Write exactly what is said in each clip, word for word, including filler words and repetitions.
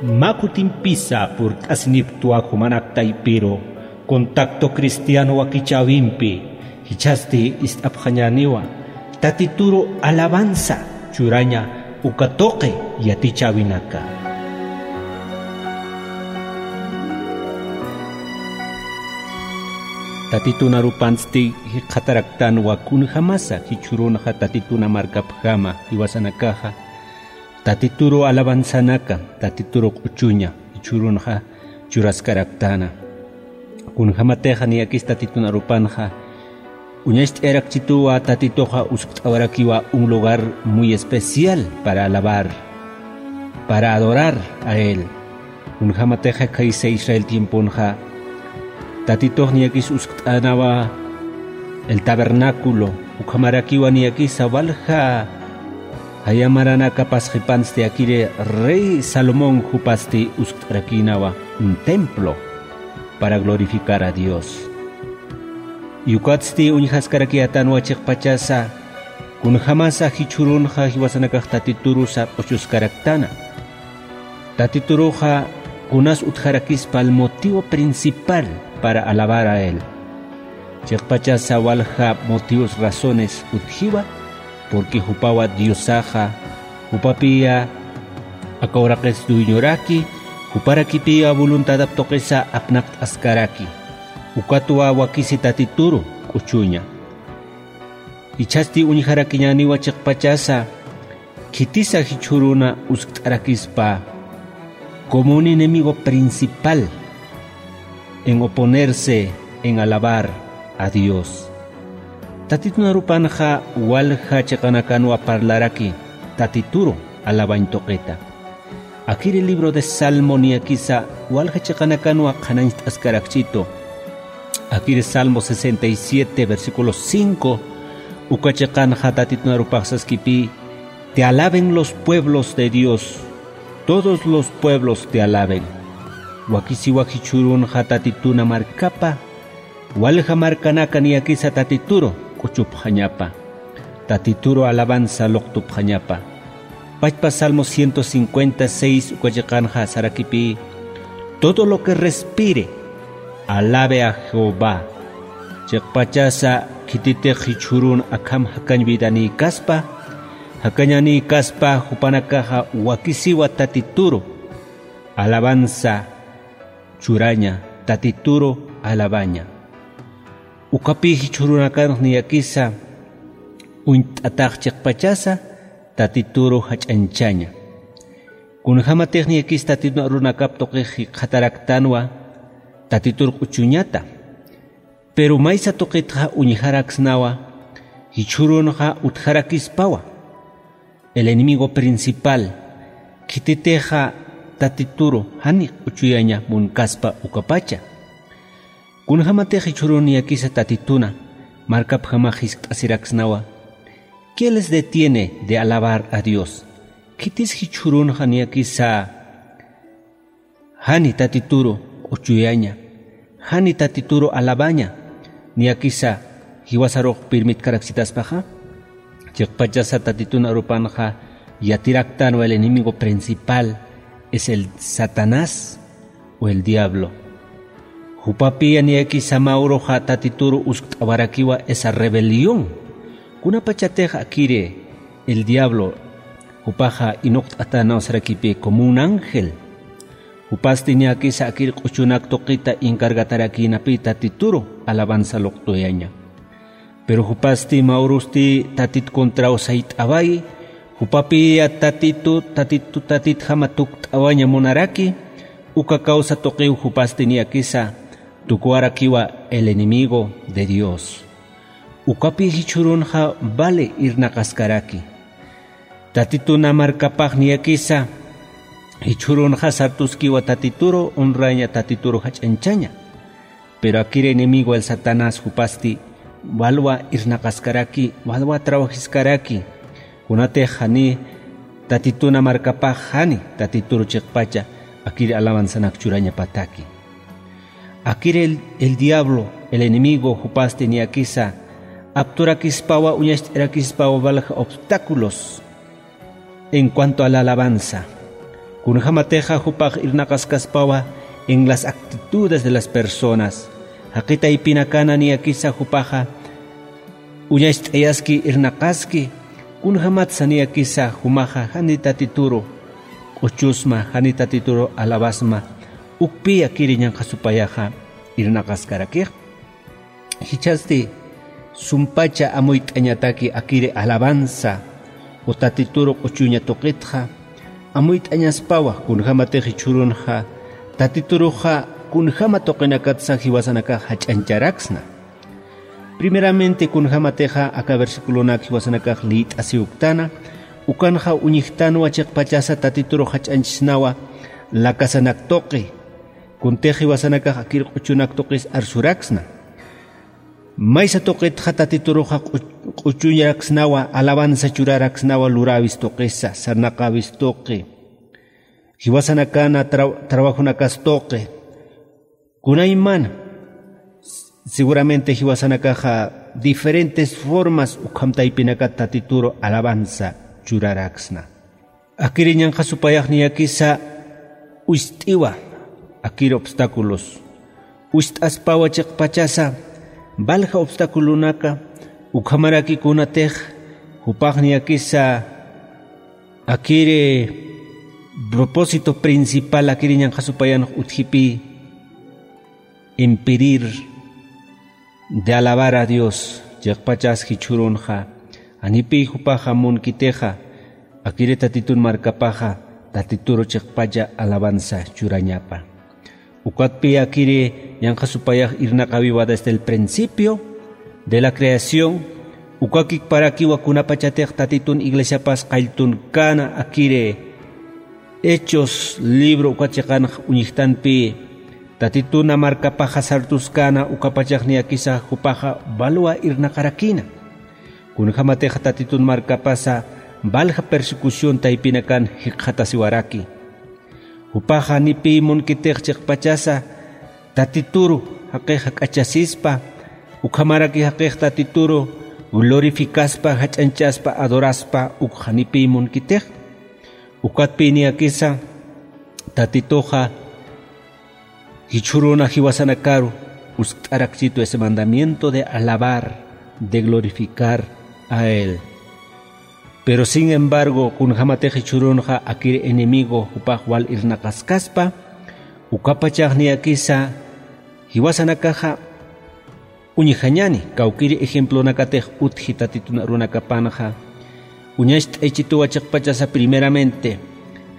Mä kutimpisa purt'asinipktwa jumanak taypiru contacto cristiano wakichäwimpi, jichhasti ist'apxañäniwa tatituru alabanza churaña uka tuqi yatichäwinaka. Tatitun arupansti jikxataraktanwa kunjamasa jichhürunxa tatituna markapjama jiwasanakaxa tatituru alabanzanaka, tatituru q'uchuña jichhürunxa churaskaraktana. Kunjamatixa niyakis tatitun arupanxa uñacht'ayarakchituwa tatituxa uskt'awarakiwa un lugar muy especial para alabar, para adorar a él. Kunjamatixa khaysa Israel tiemponxa tatitux niyakis uskt'anawa el tabernáculo, ukhamarakiwa niyakisa walja jaya maranaka pasxipansti akiri rey Salomón jupasti uskt'arakïnawa un templo para glorificar a Dios. Ukatsti uñjaskarakiyätanwa chiqpachasa kunjamasa jichhürunxa jiwasanakax tatiturusa q'uchuskaraktana. Tatituruxa kunas utjarakispa el motivo principal para alabar a él. Chiqpachasa walja motivos, razones utjiwa, porque jupawa Diosaxa, jupapiya aka uraqis dueñoraki, juparakipiya voluntadap tuqisa apnaqt'askaraki. Ukatwa wakisi tatituru q'uchuña. Jichhasti uñjarakiñäniwa chiqpachasa, khitisa jichhüruna uskt'arakispa como un enemigo principal en oponerse, en alabar a Dios. Tatitun arupanxa walja chiqanakanwa parlaraki tatituru alabañ tuqita. Akiri libro de Salmo niyakisa walja chiqanakanwa qhanañcht'askarakchitu. Akiri Salmo sesenta y siete, versículo cinco, uka chiqanxa tatitun arupax saskipï: "Te alaben los pueblos de Dios, todos los pueblos te alaben". Wakisiwa jichhürunxa tatituna markapa, walja markanaka niyakisa tatituru q'uchupxañapa, tatituru alabanza luqtupxañapa. Pachpa Salmo ciento cincuenta y seis uka chiqanxa sarakipï: "Todo lo que respire, alabe a Jehová". Chiqpachasa khititix jichhürun akham jakañ vidanïkaspa, jakañanïkaspa, jupanakaxa wakisiwa tatituru alabanza churaña, tatituru alabaña. Ukapï jichhürunakanx niyakisa uñt'atax chiqpachasa tatituru jach'añchaña. Kunjamatix niyakis tatitun arunakap tuqix jikxataraktanwa tatitur q'uchuñata. Pero maysa tuqitxa uñjaraksnawa, jichhürunxa utjarakispawa. El enemigo principal, khititixa tatituru jani q'uchuyaña munkaspa ukapacha. Kunjamatix jichhürun niyakisa tatituna markapjamax jiskt'asiraksnawa: "¿Qué les detiene de alabar a Dios?". Khitis jichhürunxa niyakisa jani tatituru q'uchuyaña, jani tatituru alabaña, niyakisa jiwasarux pirmitkarakchitaspaxa. Chiqpachasa tatitun arupanxa yatiraktanwa el enemigo principal es el Satanás o el diablo. Jupapiya niyakisa mä uruxa tatituru uskt'awarakiwa esa rebelión. Kunapachatix akiri el diablo jupaxa inuqt'atänaw sarakipï como un ángel. Jupasti niyakisa akir q'uchunak tuqita encargatarakïnapï tatituru alabanza luqtuyaña. Pero jupasti mä urusti tatit contraw sayt'awayi, jupapiya tatitu, tatitu, tatitjama tukt'awaña munaraki, uka causa tuqiw jupasti niyakisa tukuwarakiwa el enemigo de Dios. Ukapï jichhürunxa vale irnaqaskaraki. Tatituna markapax niyakisa jichhürunxa sartuskiwa tatituru honraña, tatituru jach'añchaña. Pero akir enemigo el Satanás jupasti walwa irnaqaskaraki, walwa trabajiskaraki. Kunatix jani tatituna markapax jani tatituru chiqpacha akir alabanzanak churañapataki. Akir el, el diablo, el enemigo, jupasti niyakisa apturakispawa, uñacht'irakispawa walja obstáculos en cuanto a la alabanza. Kunjämatixa jupax irnaqaskaspawa en las actitudes de las personas. Jaqi taypinakana niyakisa jupaxa uñacht'ayaski irnaqaski, kunjämatsa niyakisa jumaxa jani Tatituru q'uchusma, jani Tatituru alabasma, ukpï akiri ñanqha supayaxa irnaqaskarakix. Jichhasti sumpacha amuyt'añataki akiri alabanza o Tatituru q'uchuña tuqitxa, amuyt'añaspawa kunjämatix jichhürunxa Tatituruxa kunjäma tuqinakatsa jiwasanakax jach'añcharaksna. Primeramente, kunjämatixa aka versiculonak jiwasanakax liyt'asiwktana, ukanxa uñjtanwa chiqpachasa Tatituru jach'añchsnawa lakasanak tuqi, kuntix jiwasanakax akir q'uchunak tuqis arsuraksna. Maysa tuqitxa Tatituruxa q'u-, q'uchuñaraksnawa, alabanza churaraksnawa luräwis tuqisa, sarnaqäwis tuqi, jiwasanakana tra-, trabajonakas tuqi. Kunaymana, seguramente jiwasanakaxa diferentes formas ukham taypinakat Tatituru alabanza churaraksna. Akiri ñanqha supayax niyakisa uyst'iwa akiri obstáculos. Uyst'aspawa chiqpachasa valja obstaculonaka, ukhamaraki kunatix jupax niyakisa akiri propósito principal akiri ñanqha supayanx utjipï impedir de alabar a Dios, chiqpachas jichhürunxa, janipï jupaxa munkitixa, akiri Tatitun markapaxa, Tatituru chiqpacha alabanza churañapa. Ukatpï akiri ñanqha supayax irnaqäwiwa desde el principio de la creación, ukakikparakiwa kunapachatix Tatitun iglesiapas qalltunkäna akiri Hechos libro uka chiqanx uñjtanpï, Tatituna markapaxa sartuskäna ukapachax niyakisa jupaxa valwa irnaqarakïna. Kunjämatixa Tatitun markapasa valja persecución taypinakan jikxatasiwaraki. Jupaxa janipï munkitix chiqpachasa Tatituru jaqix jak'achasispa, ukhamaraki jaqix Tatituru glorificaspa, jach'añchaspa, adoraspa, uk janipï munkitix. Ukatpï niyakisa Tatituxa jichhüruna jiwasanakaru uskt'arakchitu ese mandamiento de alabar, de glorificar a Él. Pero sin embargo, kunjämatix jichhürunxa akiri enemigo jupax wal irnaqaskaspa, ukapachax niyakisa jiwasanakaxa uñjañani, kawkiri ejemplonakatix utji Tatitun arunakapanxa, uñacht'aychituwa chiqpachasa primeramente,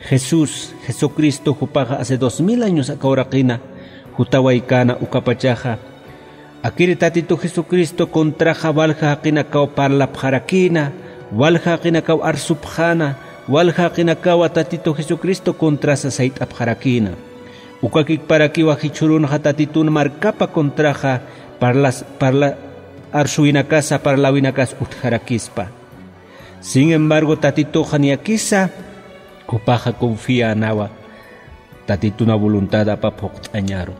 Jesús, Jesucristo jupaxa hace dos mil años aka uraqina jutawaykäna ukapachaxa, akiri Tatitu Jesucristo contraxa walja jaqinakaw parlapxarakïna, walja jaqinakaw arsupxäna, walja jaqinakawa Tatitu Jesucristo contrasa sayt'apxarakïna. Ukakikparakiwa jichhürunxa Tatitun markapa contraxa parlas-, parla-, arsuwinakasa, parlawinakas utjarakispa. Sin embargo, Tatituxa niyakisa jupaxa confiänawa Tatituna voluntad apap phuqt'añaru.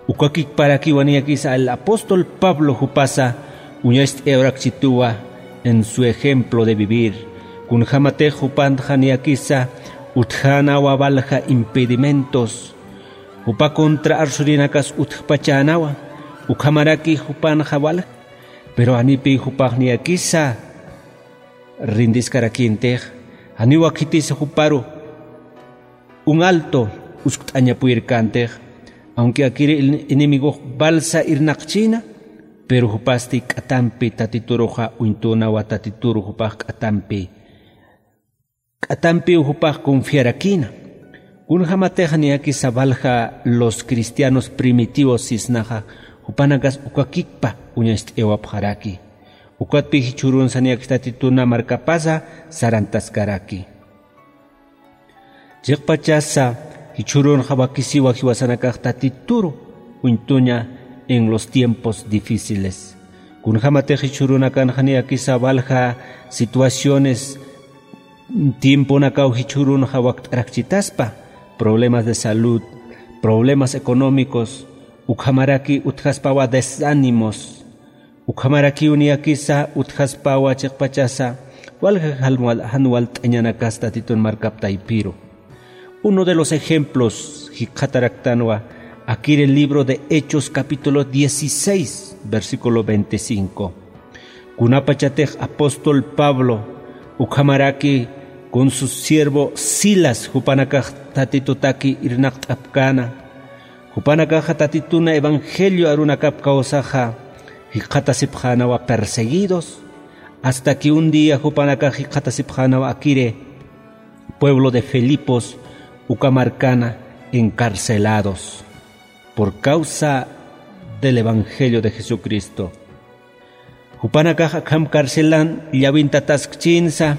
Ukakikparakiwa niyakisa el apóstol Pablo jupasa uñacht'ayarakchituwa en su ejemplo de vivir. Kunjämatix jupanxa niyakisa utjänawa walja impedimentos, jupa contra arsurinakas utjpachänawa, ukhamaraki jupanxa walja. Pero janipï jupax niyakisa rindiskarakïntix, janiw khitisa juparu un alto uskt'aña puyirkäntix, aunque akiri enemigox valsa irnaqchïna, pero jupasti k'atampi Tatituruxa uñtünawa, Tatituru jupax k'atampi, k'atampiw jupax confiarakïna. Kunjämatix niyakisa walja los cristianos primitivos sisnaxa, jupanakas ukakikpa uñacht'ayawapxaraki. Ukatpï jichhürunsa niyakis Tatituna markapasa sarantaskaraki. Chiqpachasa jichhürunxa wakisiwa jiwasanakax Tatituru uñtuña en los tiempos difíciles. Kunjämatix jichhürunakanxa niyakisa walja situaciones, tiemponakaw jichhürunxa wakt'arakchitaspa, problemas de salud, problemas económicos, ukhamaraki utjaspawa desánimos, ukhamarakiw niyakisa utjaspawa chiqpachasa walja jan wal-, jan walt'añanakas Tatitun markap taypiru. Uno de los ejemplos jikxataraktanwa akiri libro de Hechos capítulo dieciséis, versículo veinticinco. Kunapachatix apóstol Pablo ukhamaraki con su siervo Silas jupanakax Tatitutaki irnaqt'apkäna, jupanakaxa Tatituna evangelio arunakap kawsaxa jikxatasipxänawa perseguidos, hasta que un día jupanakax jikxatasipxänawa akiri pueblo de Filipos uka markana encarcelados por causa del evangelio de Jesucristo. Jupanakax akham carcelan llawintataskchinsa,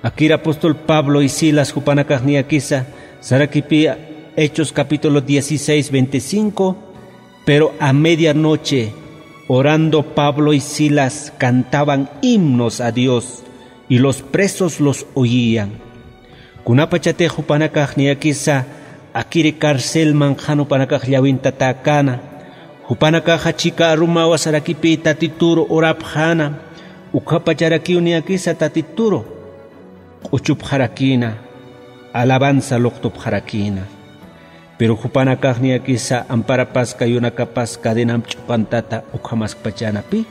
akir apóstol Pablo y Silas jupanakax niyakisa, sarakipï Hechos capítulo dieciséis, veinticinco, pero a medianoche, orando Pablo y Silas cantaban himnos a Dios, y los presos los oían. Kunapachatix jupanakax niyakisa akiri carcelman qhan jupanakax llawintatäkäna, jupanakaxa chika arumawa sarakipï Tatituru orapxäna, ukhapacharakiw niyakisa Tatituru q'uchupxarakïna, alabanza luqtupxarakïna. Pero jupanakax niyakisa amparapas kayunakapas cadenamp ch'uqantata ukhamaskpachänapï.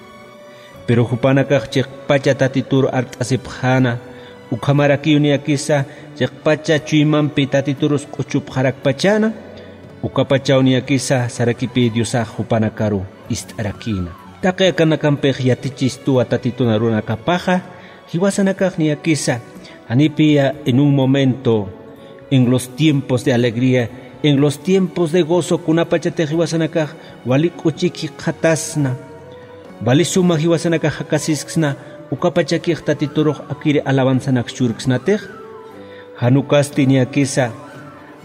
Pero jupanakax chiqpacha Tatitur art'asipxäna, ukhamarakiw niyakisa chiqpacha chuymampi Tatiturus q'uchupxarakpachäna, ukapachaw niyakisa sarakipï Diosax jupanakaru ist'arakïna. Taqi akanakampix yatichistuwa Tatitun arunakapaxa, jiwasanakax niyakisa, janipï en un momento, en los tiempos de alegría, en los tiempos de gozo, kunapachatix jiwasanakax wali k'uchik jikxatasna, wali suma jiwasanakax jakasisksna, ukapachakix Tatiturux akiri alabanzanak churksnatix. Jan ukasti niyakisa,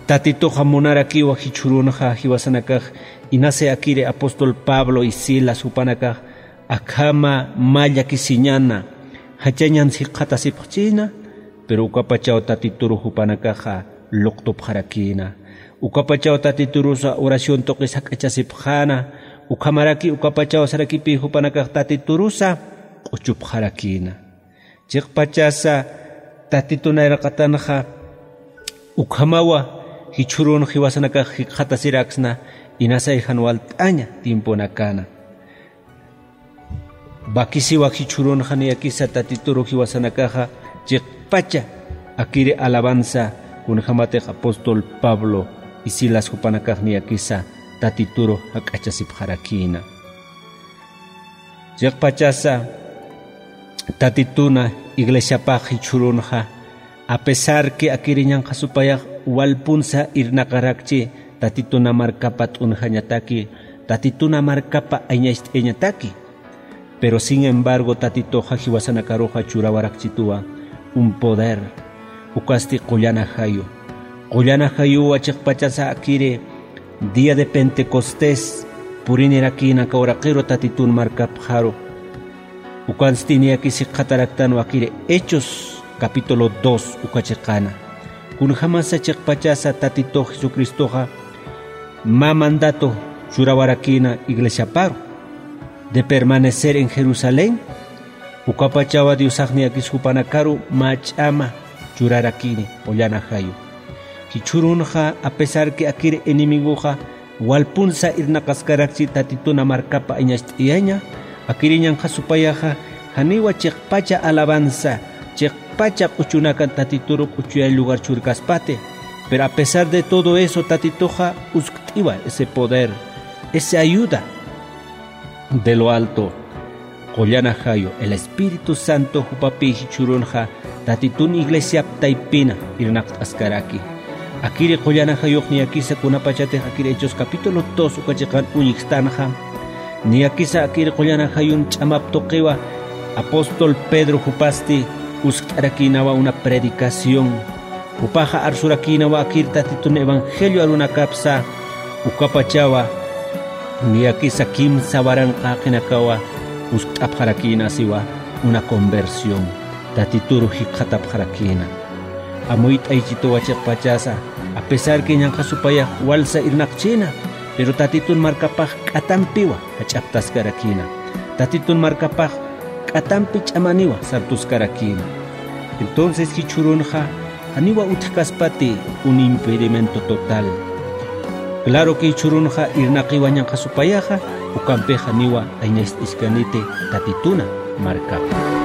Tatituxa munarakiwa jichhürunxa jiwasanakax inasa akiri apóstol Pablo y Silas jupanakax akhama mä llakisiñana, jachañans jikxatasipxchïna, pero ukapachaw Tatituru jupanakaxa luqtupxarakïna. Ukapachaw Tatiturusa oración tuqis jak'achasipxäna, ukhamaraki ukapachaw sarakipï jupanakax Tatiturusa q'uchupxarakïna. Chiqpachasa Tatitun nayraqatanxa ukhamawa jichhürun jiwasanakax jikxatasiraksna, inasay jan walt'aña tiemponakana. Wakisiwa jichhürunxa niyakisa Tatituru jiwasanakaxa chiqpacha akiri alabanza, kunjamatix apóstol Pablo y Silas jupanakax niyakisa Tatituru jak'achasipxarakïna. Chiqpachasa Tatituna iglesiapax jichhürunxa, a pesar que akiri ñanqha supayax walpunsa irnaqarakchi Tatituna markapa t'unjañataki, Tatituna markapa ayñacht'ayañataki. Pero sin embargo, Tatituxa jiwasanakaruxa churawarakchituwa un poder, ukasti qullan ajayu. Qullan ajayuwa chiqpachasa akiri día de Pentecostés purinirakïna aka uraqiru Tatitun markapxaru. Ukansti niyakis jikxataraktanwa akiri Hechos capítulo dos uka chiqana. Kunjamasa chiqpachasa Tatitux Jesucristoxa mä mandato churawarakïna iglesiaparu de permanecer en Jerusalén, ukapachawa Diosax niyakis jupanakaru mä ch'ama churarakïni qullan ajayu. Jichhürunxa, a pesar que akiri enemigoxa walpunsa irnaqaskarakchi Tatituna markapa ayñacht'ayaña, akiri ñanqha supayaxa janiwa chiqpacha alabanza, chiqpacha q'uchunakan Tatituru q'uchuyay lugar churkaspati. Pero a pesar de todo eso, Tatituxa uskt'iwa ese poder, esa ayuda de lo alto. Qullan ajayu, el Espíritu Santo jupapï jichhürunxa Tatitun iglesiap taypina irnaqt'askaraki. Akiri qullan ajayux niyakisa kunapachatix akiri Hechos capítulo dos uka chiqan uñjktanxa, niyakisa akiri qullan ajayun ch'amap tuqiwa apóstol Pedro jupasti uskt'arakïnawa una predicación. Jupaxa arsurakïnawa akir Tatitun evangelio arunakapsa, ukapachawa niyakisa kimsa waranqa jaqinakawa uskt'apxarakïna siwa una conversión, Tatituru jikxatapxarakïna. Amuyt'aychituwa chiqpachasa, a pesar que ñanqha supayax walsa irnaqchïna, pero Tatitun markapax k'atampiwa jach'aptaskarakïna. Tatitun markapax k'atampi ch'amaniwa sartuskarakïna. Entonces jichhürunxa Janiwa utjkaspati un impedimento total. Claro que jichhürunxa irnaqiw añanxa supayaxa, ukampix janiwa añast'iskaniti Tatituna markapa.